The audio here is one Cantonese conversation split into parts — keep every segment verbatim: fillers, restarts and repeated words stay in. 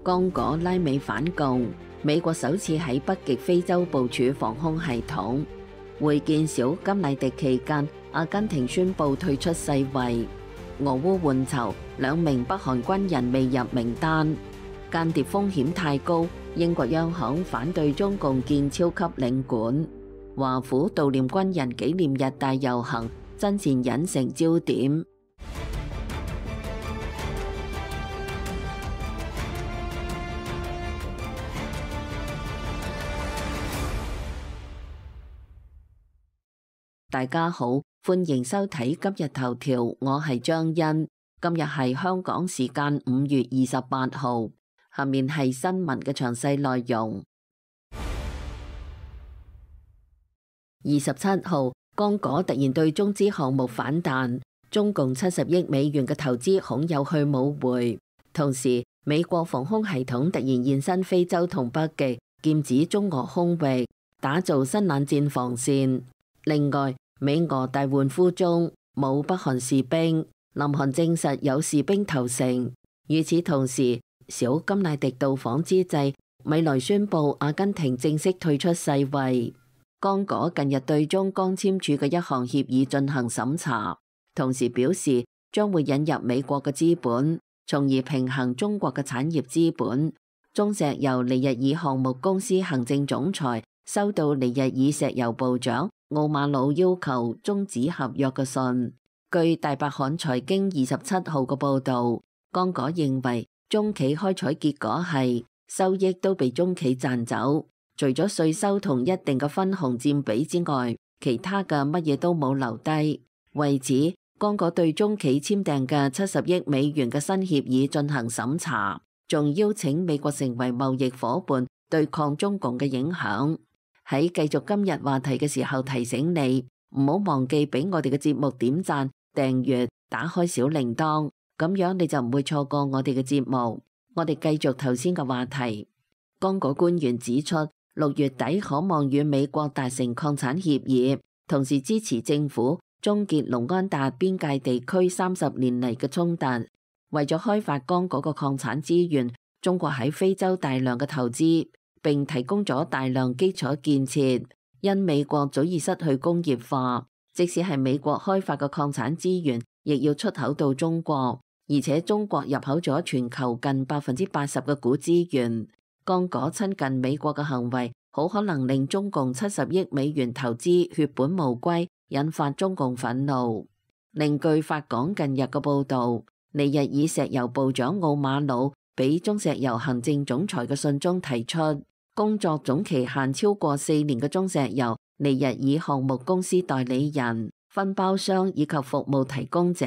剛果拉美反共，美國首次喺北極非洲部署防空系統。會見小甘迺迪期間，阿根廷宣布退出世衛。俄烏換囚，兩名北韓軍人未入名單。間諜風險太高，英國央行反對中共建超級領館。華府悼念軍人紀念日大遊行，真善忍成焦點。大家好，歡迎收睇今日頭條，我係張欣。今日係香港時間五月二十八號，下面係新聞嘅詳細內容。二十七號，剛果突然對中資項目反彈，中共七十億美元嘅投資恐有去冇回。同時，美國防空系統突然現身非洲同北極，劍指中俄空域，打造新冷戰防線。另外，美俄大換俘中，冇北韓士兵，南韓證實有士兵投誠。與此同時，小甘迺迪到訪之際，米萊宣布阿根廷正式退出世衛。剛果近日對中剛簽署嘅一項協議進行審查，同時表示將會引入美國嘅資本，從而平衡中國嘅產業資本。中石油尼日爾項目公司行政總裁收到尼日爾石油部長奧馬魯要求終止合約嘅信。據大白韓財經二十七號嘅報導，剛果認為中企開採結果係收益都被中企賺走，除咗稅收同一定嘅分紅佔比之外，其他嘅乜嘢都冇留低。為此，剛果對中企簽訂嘅七十億美元嘅新協議進行審查，仲邀請美國成為貿易夥伴，對抗中共嘅影響。喺繼續今日話題嘅時候，提醒你唔好忘記俾我哋嘅節目點讚、訂閱、打開小鈴鐺，咁樣你就唔會錯過我哋嘅節目。我哋繼續頭先嘅話題。剛果官員指出，六月底可望與美國達成礦產協議，同時支持政府終結龍安達邊界地區三十年嚟嘅衝突。為咗開發剛果嘅礦產資源，中國喺非洲大量嘅投資，並提供咗大量基礎建設。因美國早已失去工業化，即使係美國開發嘅礦產資源，亦要出口到中國，而且中國入口咗全球近百分之八十嘅鈷資源。剛果親近美國嘅行為，好可能令中共七十億美元投資血本無歸，引發中共憤怒。另據法港近日嘅報導，尼日爾石油部長奧馬魯俾中石油行政總裁嘅信中提出，工作總期限超過四年嘅中石油尼日爾項目公司代理人、分包商以及服務提供者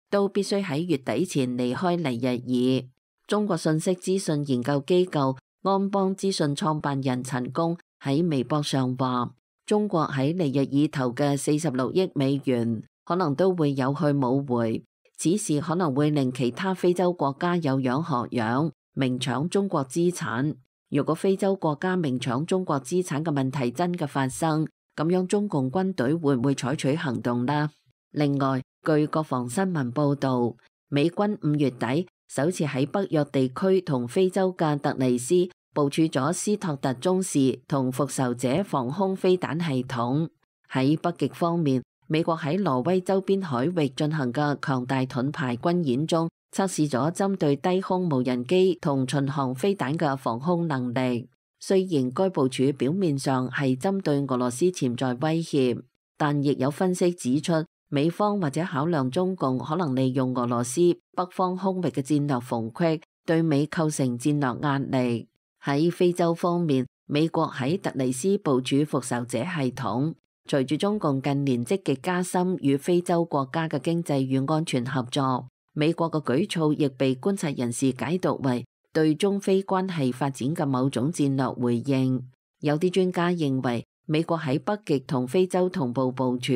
都必須喺月底前離開尼日爾。中國信息資訊研究機構安邦資訊創辦人陳功喺微博上話，中國喺尼日爾投嘅四十六億美元可能都會有去冇回，此事可能會令其他非洲國家有樣學樣，明搶中國資產。如果非洲國家明搶中國資產嘅問題真嘅發生，咁樣中共軍隊會唔會採取行動呢？另外，據國防新聞報導，美軍五月底首次喺北約地區同非洲嘅突尼斯部署咗斯托特中士同復仇者防空飛彈系統。喺北極方面，美國喺挪威周邊海域進行嘅強大盾牌軍演中，測試咗針對低空無人機同巡航飛彈嘅防空能力。雖然該部署表面上係針對俄羅斯潛在威脅，但亦有分析指出，美方或者考量中共可能利用俄羅斯北方空域嘅戰略縫隙，對美構成戰略壓力。喺非洲方面，美國喺突尼斯部署復仇者系統。隨住中共近年積極加深與非洲國家嘅經濟與安全合作，美國嘅舉措亦被觀察人士解讀為對中非關係發展嘅某種戰略回應。有啲專家認為，美國喺北極同非洲同步部署，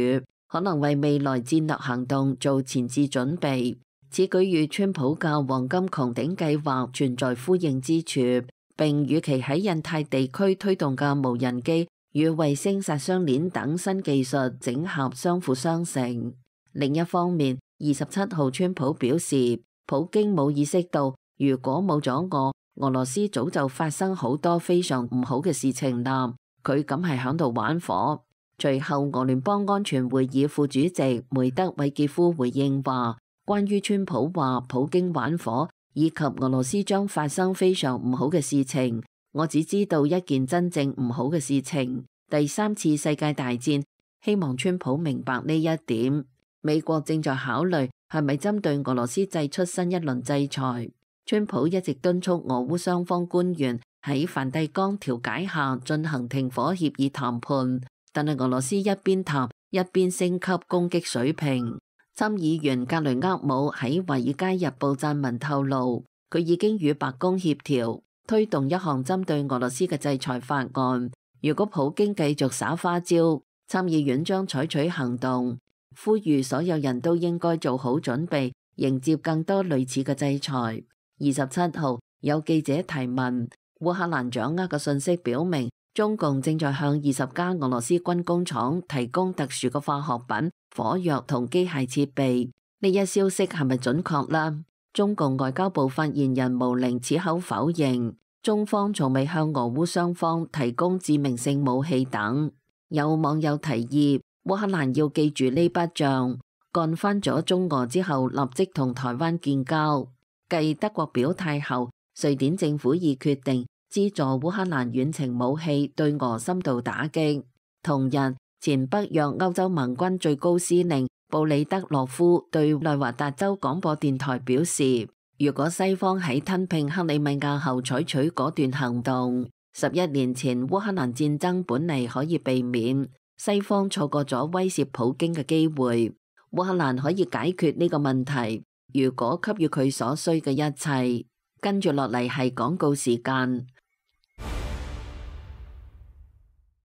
可能為未來戰略行動做前置準備。此舉與川普嘅黃金穹頂計劃存在呼應之處，並與其喺印太地區推動嘅無人機與衛星殺傷鏈等新技術整合相輔相成。另一方面，二十七號川普表示，普京冇意識到如果冇咗我，俄羅斯早就發生好多非常唔好嘅事情啦，佢咁係響度玩火。隨後俄聯邦安全會議副主席梅德韋傑夫回應話，關於川普話普京玩火以及俄羅斯將發生非常唔好嘅事情，我只知道一件真正唔好嘅事情，第三次世界大戰，希望川普明白呢一點。美國正在考慮係咪針對俄羅斯祭出新一輪制裁。川普一直敦促俄烏雙方官員喺梵蒂岡調解下進行停火協議談判，但係俄羅斯一邊談一邊升級攻擊水平。參議員格雷厄姆喺《華爾街日報》撰文透露，佢已經與白宮協調推動一項針對俄羅斯嘅制裁法案。如果普京繼續耍花招，參議院將採取行動，呼籲所有人都應該做好準備，迎接更多類似嘅制裁。二十七號有記者提問，烏克蘭掌握嘅信息表明，中共正在向二十家俄羅斯軍工廠提供特殊嘅化學品、火藥同機械設備。呢一消息係咪準確呢？中共外交部發言人毛寧此口否認，中方從未向俄烏雙方提供致命性武器等。有網友提議，烏克蘭要記住呢筆賬，幹翻咗中俄之後，立即同台灣建交。繼德國表態後，瑞典政府已決定資助烏克蘭遠程武器對俄深度打擊。同日，前北約歐洲盟軍最高司令布里德洛夫對內華達州廣播電台表示，如果西方喺吞併克里米亞後採取果斷行動，十一年前烏克蘭戰爭本嚟可以避免，西方錯過咗威懾普京嘅機會。烏克蘭可以解決呢個問題，如果給予佢所需嘅一切。跟住落嚟係廣告時間。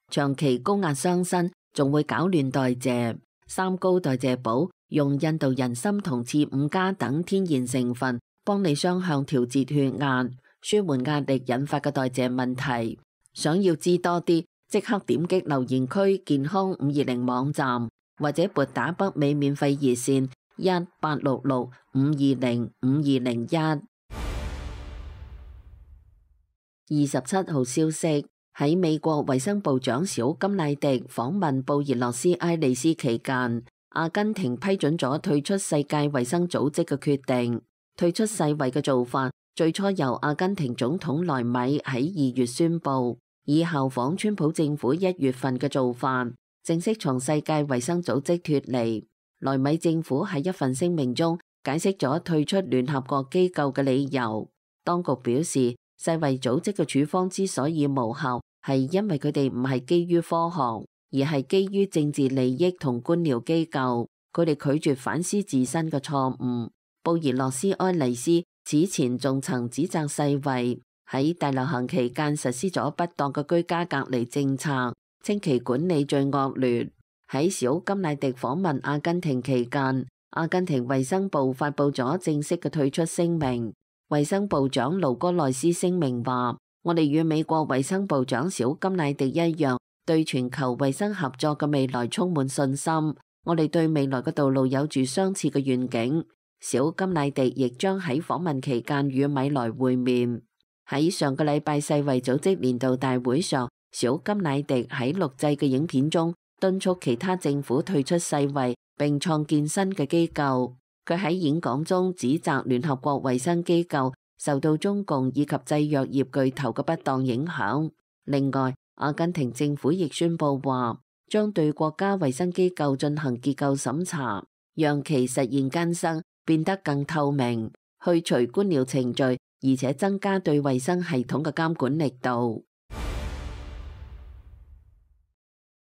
長期高壓傷身，仲會搞亂代謝。三高代謝寶用印度人參同刺五加等天然成分，幫你雙向調節血壓，舒緩壓力引發嘅代謝問題。想要知多啲，即刻點擊留言區健康五二零網站，或者撥打北美免費熱線一八六六五二零五二零一。二十七號消息，喺美國衛生部長小甘迺迪訪問布宜諾斯艾利斯期間，阿根廷批准咗退出世界衛生組織嘅決定。退出世衛嘅做法最初由阿根廷總統萊米喺二月宣布，以效仿川普政府一月份嘅做法，正式從世界衛生組織脫離。萊米政府喺一份聲明中解釋咗退出聯合國機構嘅理由。當局表示，世衛組織嘅處方之所以無效，係因為佢哋唔係基於科學，而係基於政治利益同官僚機構。佢哋拒絕反思自身嘅錯誤。布宜諾斯艾利斯此前仲曾指責世衛喺大流行期間實施咗不當嘅居家隔離政策，稱其管理最惡劣。喺小甘迺迪訪問阿根廷期間，阿根廷衛生部發布咗正式嘅退出聲明。衛生部長盧戈內斯聲明話：我哋與美國衛生部長小甘迺迪一樣，對全球衛生合作嘅未來充滿信心。我哋對未來嘅道路有住相似嘅願景。小甘迺迪亦將喺訪問期間與米萊會面。喺上個禮拜世衛組織年度大會上，小甘迺迪喺錄製嘅影片中敦促其他政府退出世衛並創建新嘅機構。佢喺演講中指責聯合國衛生機構受到中共以及製藥業巨頭嘅不當影響。另外，阿根廷政府亦宣布話，將對國家衛生機構進行結構審查，讓其實現更生，變得更透明，去除官僚程序，而且增加對衛生系統嘅監管力度。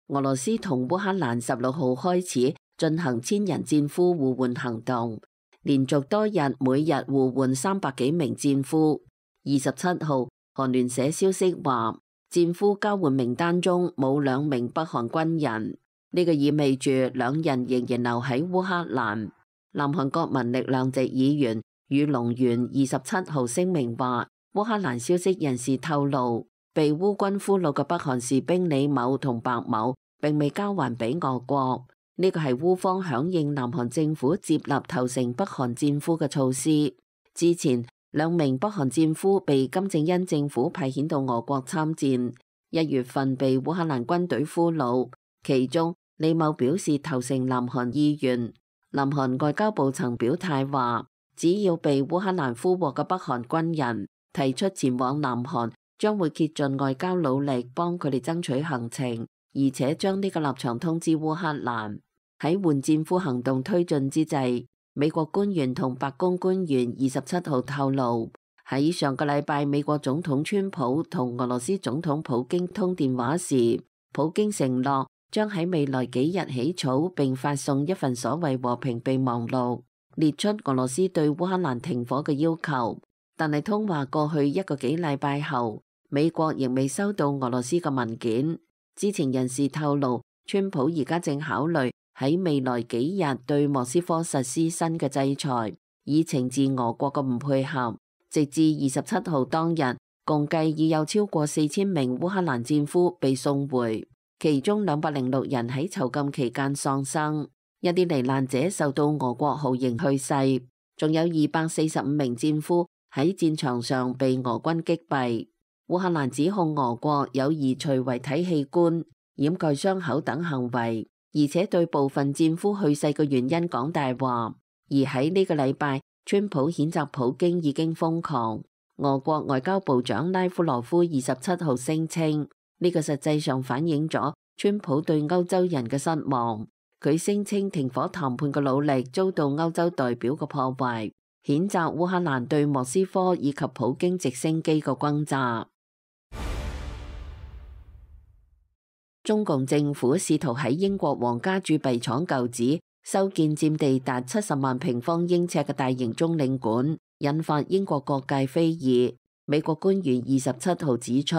俄羅斯同烏克蘭十六號開始進行千人戰俘互換行動，連續多日每日互換三百幾名戰俘。二十七號，韓聯社消息話，戰俘交換名單中冇兩名北韓軍人，呢個意味住兩人仍然留喺烏克蘭。南韓國民力量籍議員宇龍元二十七號聲明話，烏克蘭消息人士透露，被烏軍俘虜嘅北韓士兵李某同白某並未交還俾俄國。呢個係烏方響應南韓政府接納投誠北韓戰俘嘅措施。之前兩名北韓戰俘被金正恩政府派遣到俄國參戰，一月份被烏克蘭軍隊俘虜，其中李某表示投誠南韓意願。南韓外交部曾表態話，只要被烏克蘭俘獲嘅北韓軍人提出前往南韓，將會竭盡外交努力幫佢哋爭取行程，而且將呢個立場通知烏克蘭。喺換戰俘行動推進之際，美國官員同白宮官員二十七號透露，喺上個禮拜美國總統川普同俄羅斯總統普京通電話時，普京承諾將喺未來幾日起草並發送一份所謂和平備忘錄，列出俄羅斯對烏克蘭停火嘅要求。但係通話過去一個幾禮拜後，美國仍未收到俄羅斯嘅文件。知情人士透露，川普而家正考慮喺未來幾日對莫斯科實施新嘅制裁，以懲治俄國嘅唔配合。直至二十七號當日，共計已有超過四千名烏克蘭戰俘被送回，其中兩百零六人喺囚禁期間喪生，一啲罹難者受到俄國酷刑去世，仲有二百四十五名戰俘喺戰場上被俄軍擊斃。烏克蘭指控俄國有移除遺體器官、掩蓋傷口等行為，而且對部分戰俘去世嘅原因講大話。而喺呢個禮拜，川普譴責普京已經瘋狂。俄國外交部長拉夫羅夫二十七號聲稱，呢個實際上反映咗川普對歐洲人嘅失望。佢聲稱停火談判嘅努力遭到歐洲代表嘅破壞，譴責烏克蘭對莫斯科以及普京直升機嘅轟炸。中共政府試圖喺英國皇家鑄幣廠舊址修建佔地達七十萬平方英尺嘅大型中領館，引發英國各界非議。美國官員二十七號指出，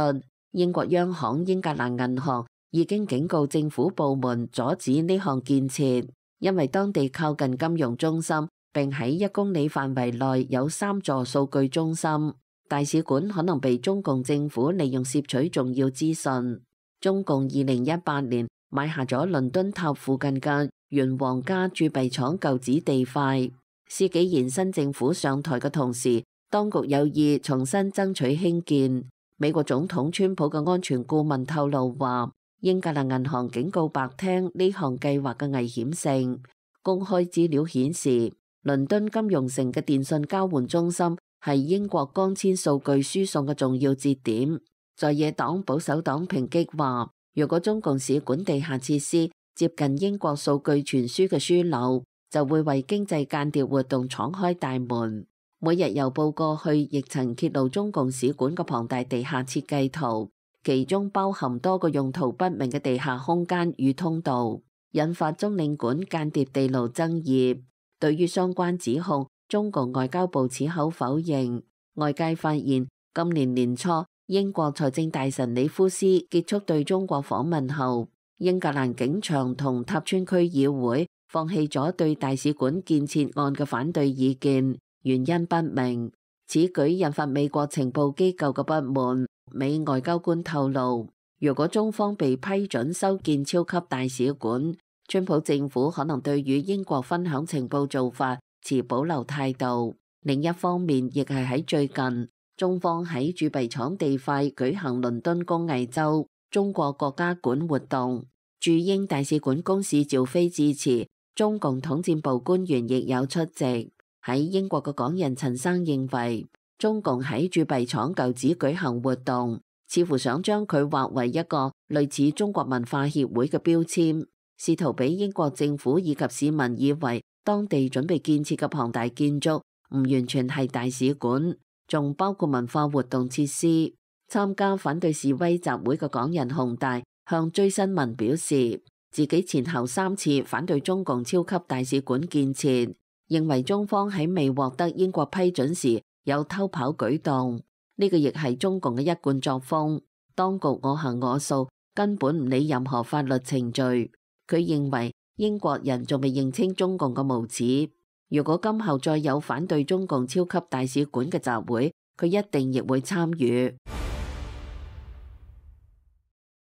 英國央行英格蘭銀行已經警告政府部門阻止呢項建設，因為當地靠近金融中心，並喺一公里範圍內有三座數據中心，大使館可能被中共政府利用攝取重要資訊。中共二零一八年買下咗倫敦塔附近嘅原皇家鑄幣廠舊址地塊。施紀賢新政府上台嘅同時，當局有意重新爭取興建。美國總統川普嘅安全顧問透露話，英格蘭銀行警告白廳呢項計劃嘅危險性。公開資料顯示，倫敦金融城嘅電信交換中心係英國光纖數據輸送嘅重要節點。在野黨保守黨抨擊話，如果中共使館地下設施接近英國數據傳輸嘅樞紐，就會為經濟間諜活動敞開大門。每日郵報過去亦曾揭露中共使館嘅龐大地下設計圖，其中包含多個用途不明嘅地下空間與通道，引發中領館間諜地牢爭議。對於相關指控，中共外交部矢口否認。外界發現，今年年初，英國財政大臣里夫斯結束對中國訪問後，英格蘭警場同塔村區議會放棄咗對大使館建設案嘅反對意見，原因不明。此舉引發美國情報機構嘅不滿。美外交官透露，如果中方被批准修建超級大使館，川普政府可能對與英國分享情報做法持保留態度。另一方面，亦係喺最近，中方喺鑄幣廠地塊舉行倫敦工藝周中國國家館活動，駐英大使館公使趙飛致辭，中共統戰部官員亦有出席。喺英國嘅港人陳生認為，中共喺鑄幣廠舊址舉行活動，似乎想將佢劃為一個類似中國文化協會嘅標籤，試圖俾英國政府以及市民以為當地準備建設嘅龐大建築唔完全係大使館，仲包括文化活動設施。參加反對示威集會嘅港人洪大向追新聞表示，自己前後三次反對中共超級大使館建設，認為中方喺未獲得英國批准時有偷跑舉動，呢個亦係中共嘅一貫作風。當局我行我素，根本唔理任何法律程序。佢認為英國人仲未認清中共嘅無恥。如果今後再有反對中共超級大使館嘅集會，佢一定亦會參與。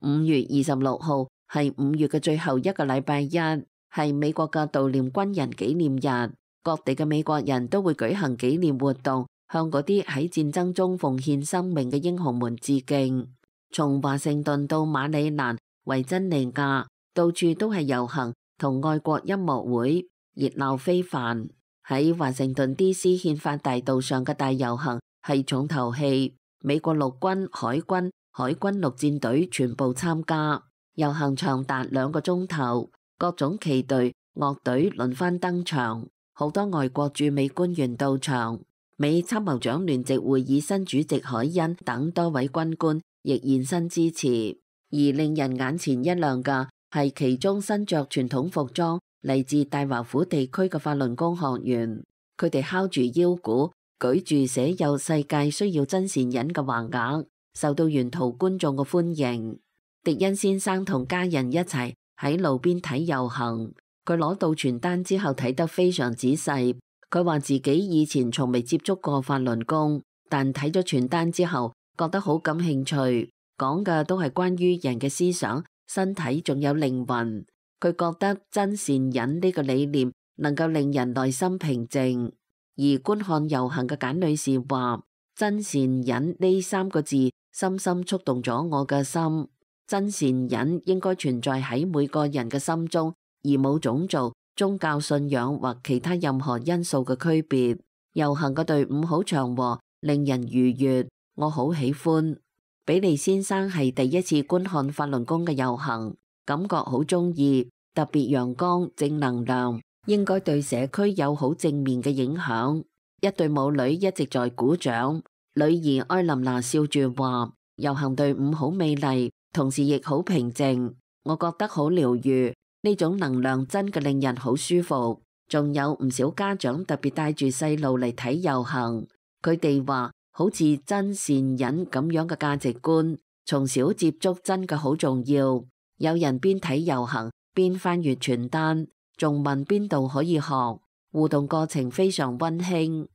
五月二十六號係五月嘅最後一個禮拜一，係美國嘅悼念軍人紀念日，各地嘅美國人都會舉行紀念活動，向嗰啲喺戰爭中奉獻生命嘅英雄們致敬。從華盛頓到馬里蘭、維珍尼亞，到處都係遊行同愛國音樂會，熱鬧非凡。喺華盛頓 D C 憲法大道上嘅大遊行係重頭戲，美國陸軍、海軍、海軍陸戰隊全部參加。遊行長達兩個鐘頭，各種旗隊、樂隊輪番登場，好多外國駐美官員到場，美參謀長聯席會議新主席凱恩等多位軍官亦現身支持。而令人眼前一亮嘅係其中身着傳統服裝嚟自大華府地區嘅法輪功學員，佢哋敲住腰鼓，舉住寫有世界需要真善忍嘅橫額，受到沿途觀眾嘅歡迎。迪恩先生同家人一齊喺路邊睇遊行，佢攞到傳單之後睇得非常仔細。佢話自己以前從未接觸過法輪功，但睇咗傳單之後覺得好感興趣，講嘅都係關於人嘅思想、身體仲有靈魂。佢覺得真善忍呢個理念能夠令人內心平靜。而觀看遊行嘅簡女士話，真善忍呢三個字深深觸動咗我嘅心。真善忍應該存在喺每個人嘅心中，而冇種族、宗教信仰或其他任何因素嘅區別。遊行嘅隊伍好祥和，令人愉悅，我好喜歡。比利先生係第一次觀看法輪功嘅遊行，感覺好中意，特別陽光、正能量，應該對社區有好正面嘅影響。一對母女一直在鼓掌，女兒埃琳娜笑住話，遊行隊伍好美麗，同時亦好平靜，我覺得好療癒，呢種能量真嘅令人好舒服。仲有唔少家長特別帶住細路嚟睇遊行，佢哋話好似真善忍咁樣嘅價值觀，從小接觸真嘅好重要。有人邊睇遊行邊翻閱傳單，仲問邊度可以學，互動過程非常溫馨。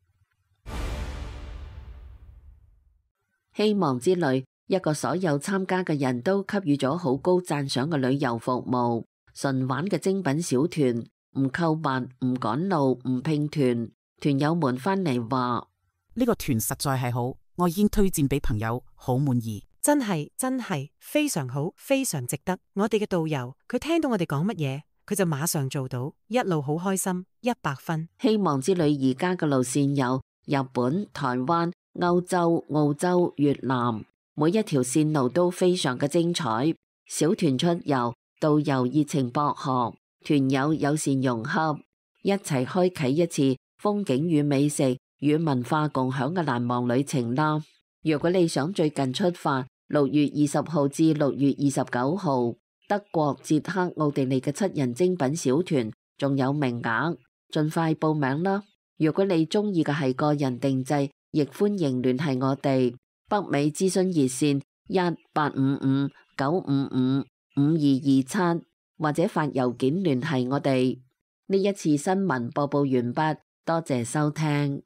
希望之旅一個所有參加嘅人都給予咗好高讚賞嘅旅遊服務，純玩嘅精品小團，唔購物、唔趕路、唔拼團。團友們翻嚟話，呢個團實在係好，我已經推薦俾朋友，好滿意。真係真係非常好，非常值得。我哋嘅導遊佢聽到我哋講乜嘢，佢就馬上做到，一路好開心，一百分。希望之旅而家嘅路線有日本、台灣、歐洲、澳洲、越南，每一條線路都非常嘅精彩。小團出遊，導遊熱情博學，團友友善融洽，一齊開啟一次風景與美食與文化共享嘅難忘旅程啦。如果你想最近出發，六月二十號至六月二十九號，德國、捷克、奧地利嘅七人精品小團仲有名額，盡快報名啦。如果你中意嘅係個人定製，亦歡迎聯繫我哋。北美諮詢熱線一八五五九五五五二二七，或者發郵件聯繫我哋。呢一次新聞播報完畢，多謝收聽。